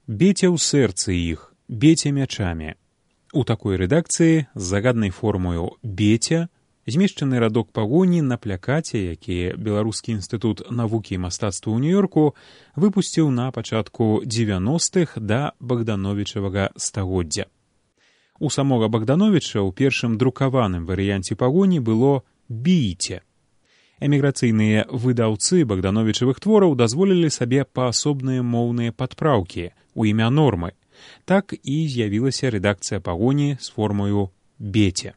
Бейте ў сэрцы іх, бейте мячамі. У такой рэдакцыі з загаднай формою «бейте» змешчаны радок пагоні на плакаце, які Беларускі інстытут навукі і мастацтва ў Нью-Йорку выпусціў на пачатку 90-х да Богдановічавага стагоддзя. У самога Богдановіча ў першым друкаваным варыянце пагоні было «бійце». Эміграцыйныя выдаўцы Богдановічавых твораў дазволілі сабе паасобныя моўныя падпраўкі ў імя нормы. Так і з'явілася рэдакцыя пагоні з формою «бейте».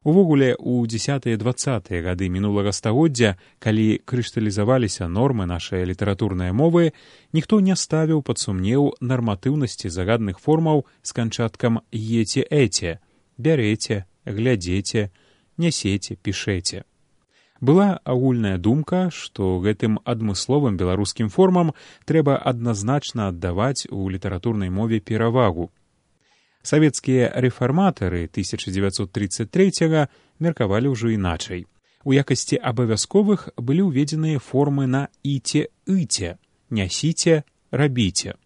Увогуле, у 10-20 гады мінулага стагоддзя, калі крышталізаваліся нормы нашай літаратурнай мовы, ніхто не ставіў пад сумнеў нарматыўнасці загадных формаў з канчаткам «ете-эте» – «бярэце», «глядзеце», «нясеце», «пішэце». Была агульная думка, што гэтым адмысловым беларускім формам трэба адназначна аддаваць у літаратурнай мове перавагу. Савецкія рэфарматары 1933-го меркавалі ўжо іначай. У якасці абавязковых былі ўведзеныя формы на «іце-ыце» – «нясіце», «рабіце».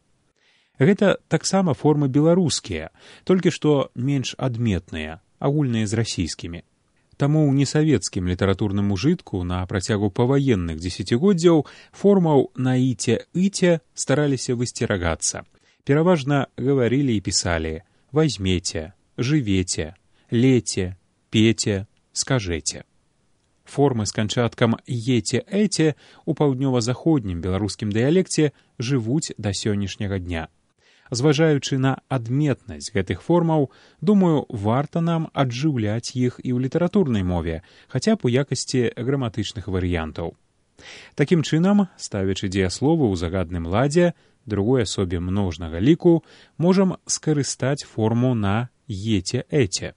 Гэта таксама формы беларускія, толькі што менш адметныя, агульныя з расійскімі. Таму ў несавецкім літаратурным ужытку на працягу паваенных дзесяцігоддзяў формаў на «іце-ыце» стараліся высцерагацца. Пераважна гаварылі і пісалі «возьмете», «живете», «лете», «пете», «скажете». Формы з канчаткам «ете-эте» у паўднёва-заходнім беларускім дыялекце жывуць да сённяшняга дня. Зважаючы на адметнасць гэтых формаў, думаю, варта нам аджыўляць іх і ў літаратурнай мове, хаця б у якасці граматычных варыянтаў. Такім чынам, ставячы дзеясловы ў загадным ладзе, другой асобе множнага ліку, можам скарыстаць форму на «ете-эте».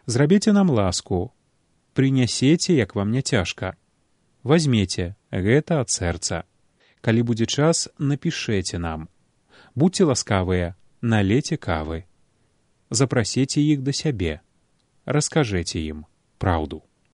Зрабіце нам ласку, прынясеце, як вам не цяжка. Возьмеце, гэта ад сэрца. Калі будзе час, напішэце нам. Будьце ласкавыя, налейце кавы. Запрасіце іх да сябе. Раскажэце ім праўду.